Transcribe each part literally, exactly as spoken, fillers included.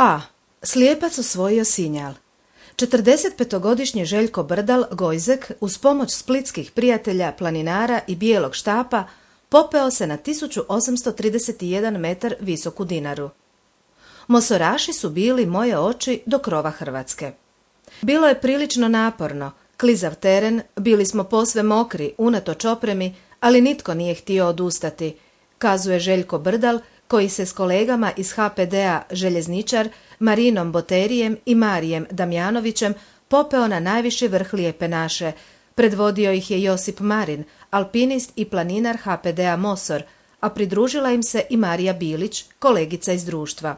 A. Slijepac osvojio Sinjal. četrdesetpetogodišnji Željko Brdal Gojzek uz pomoć splitskih prijatelja, planinara i bijelog štapa popeo se na tisuću osamsto trideset jedan metar visoku Dinaru. Mosoraši su bili moje oči do krova Hrvatske. Bilo je prilično naporno, klizav teren, bili smo posve mokri, unatoč opremi, ali nitko nije htio odustati, kazuje Željko Brdal, koji se s kolegama iz ha pe de a Željezničar, Marinom Boterijem i Marijem Damjanovićem popeo na najviši vrh Lijepe naše. Predvodio ih je Josip Marin, alpinist i planinar ha pe de a Mosor, a pridružila im se i Marija Bilić, kolegica iz društva.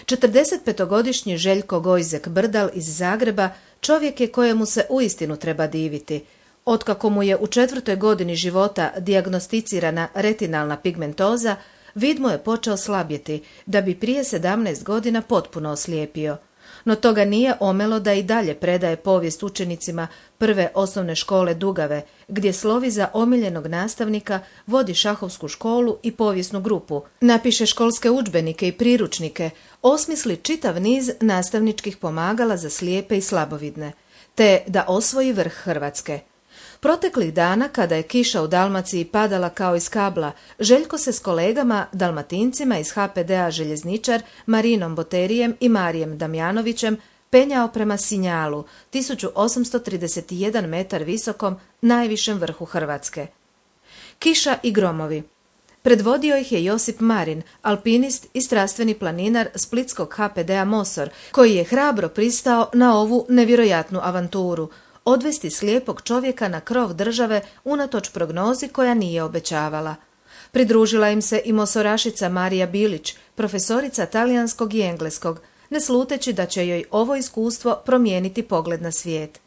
četrdesetpetogodišnji Željko Gojzek Brdal iz Zagreba čovjek je kojemu se uistinu treba diviti. Otkako mu je u četvrtoj godini života dijagnosticirana retinalna pigmentoza, vid mu je počeo slabjeti, da bi prije sedamnaest godina potpuno oslijepio. No toga nije omelo da i dalje predaje povijest učenicima prve osnovne škole Dugave, gdje slovi za omiljenog nastavnika, vodi šahovsku školu i povijesnu grupu, napiše školske udžbenike i priručnike, osmisli čitav niz nastavničkih pomagala za slijepe i slabovidne, te da osvoji vrh Hrvatske. Proteklih dana, kada je kiša u Dalmaciji padala kao iz kabla, Željko se s kolegama, dalmatincima iz ha pe de a Željezničar, Marinom Boterijem i Marijem Damjanovićem penjao prema Sinjalu, tisuću osamsto trideset jedan metar visokom, najvišem vrhu Hrvatske. Kiša i gromovi. Predvodio ih je Josip Marin, alpinist i strastveni planinar splitskog ha pe de a Mosor, koji je hrabro pristao na ovu nevjerojatnu avanturu, odvesti slijepog čovjeka na krov države unatoč prognozi koja nije obećavala. Pridružila im se i mosorašica Marija Bilić, profesorica talijanskog i engleskog, ne sluteći da će joj ovo iskustvo promijeniti pogled na svijet.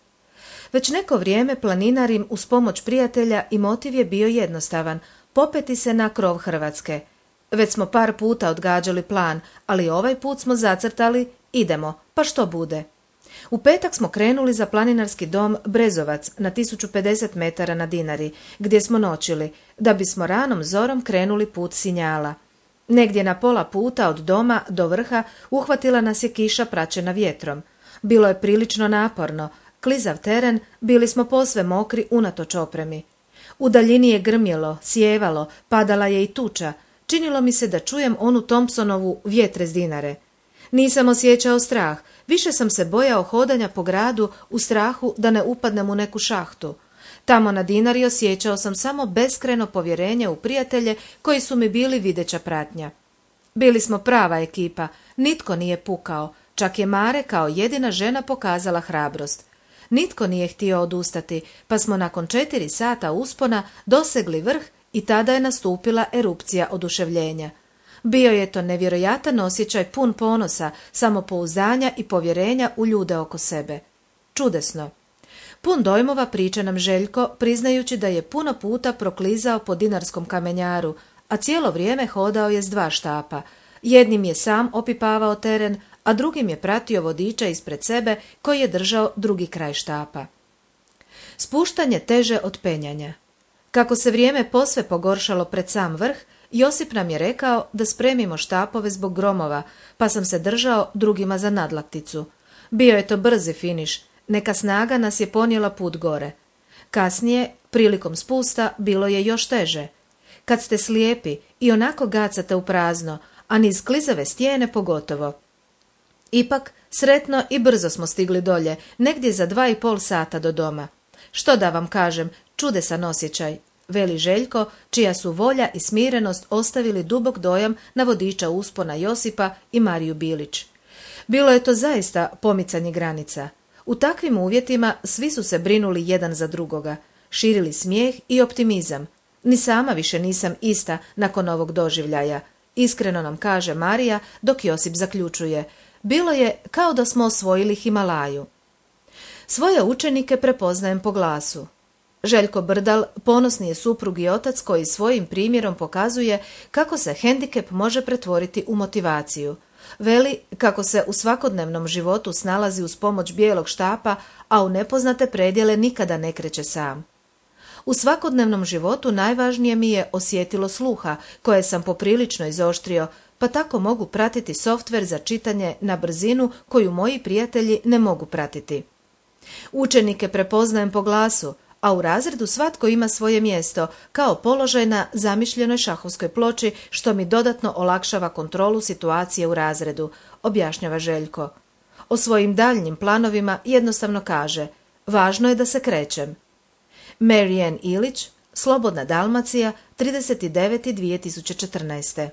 Već neko vrijeme planinar im uz pomoć prijatelja i motiv je bio jednostavan, popeti se na krov Hrvatske. Već smo par puta odgađali plan, ali ovaj put smo zacrtali, idemo, pa što bude. U petak smo krenuli za planinarski dom Brezovac na tisuću pedeset metara na Dinari, gdje smo noćili, da bismo ranom zorom krenuli put Sinjala. Negdje na pola puta od doma do vrha uhvatila nas je kiša praćena vjetrom. Bilo je prilično naporno, klizav teren, bili smo posve mokri unatoč opremi. U daljini je grmjelo, sjevalo, padala je i tuča, činilo mi se da čujem onu Thompsonovu Vjetre s Dinare. Nisam osjećao strah, više sam se bojao hodanja po gradu u strahu da ne upadnem u neku šahtu. Tamo na Dinari osjećao sam samo beskrajno povjerenje u prijatelje koji su mi bili videća pratnja. Bili smo prava ekipa, nitko nije pukao, čak je Mare kao jedina žena pokazala hrabrost. Nitko nije htio odustati, pa smo nakon četiri sata uspona dosegli vrh i tada je nastupila erupcija oduševljenja. Bio je to nevjerojatan osjećaj pun ponosa, samopouzdanja i povjerenja u ljude oko sebe. Čudesno. Pun dojmova priča nam Željko, priznajući da je puno puta proklizao po dinarskom kamenjaru, a cijelo vrijeme hodao je s dva štapa. Jednim je sam opipavao teren, a drugim je pratio vodiča ispred sebe koji je držao drugi kraj štapa. Spuštanje teže od penjanja. Kako se vrijeme posve pogoršalo pred sam vrh, Josip nam je rekao da spremimo štapove zbog gromova, pa sam se držao drugima za nadlakticu. Bio je to brzi finiš, neka snaga nas je ponijela put gore. Kasnije, prilikom spusta, bilo je još teže. Kad ste slijepi i onako gacate u prazno, a niz klizave stijene pogotovo. Ipak, sretno i brzo smo stigli dolje, negdje za dva i pol sata do doma. Što da vam kažem, čudesan osjećaj, veli Željko, čija su volja i smirenost ostavili dubok dojam na vodiča uspona Josipa i Mariju Bilić. Bilo je to zaista pomicanje granica. U takvim uvjetima svi su se brinuli jedan za drugoga, širili smijeh i optimizam. Ni sama više nisam ista nakon ovog doživljaja, iskreno nam kaže Marija, dok Josip zaključuje. Bilo je kao da smo osvojili Himalaju. Svoje učenike prepoznajem po glasu. Željko Brdal ponosni je suprug i otac koji svojim primjerom pokazuje kako se hendikep može pretvoriti u motivaciju. Veli kako se u svakodnevnom životu snalazi uz pomoć bijelog štapa, a u nepoznate predjele nikada ne kreće sam. U svakodnevnom životu najvažnije mi je osjetilo sluha, koje sam poprilično izoštrio, pa tako mogu pratiti softver za čitanje na brzinu koju moji prijatelji ne mogu pratiti. Učenike prepoznajem po glasu, a u razredu svatko ima svoje mjesto, kao položaj na zamišljenoj šahovskoj ploči, što mi dodatno olakšava kontrolu situacije u razredu, objašnjava Željko. O svojim daljnjim planovima jednostavno kaže: važno je da se krećem. Marianne Ilić, Slobodna Dalmacija, trideset devet dvije tisuće četrnaeste.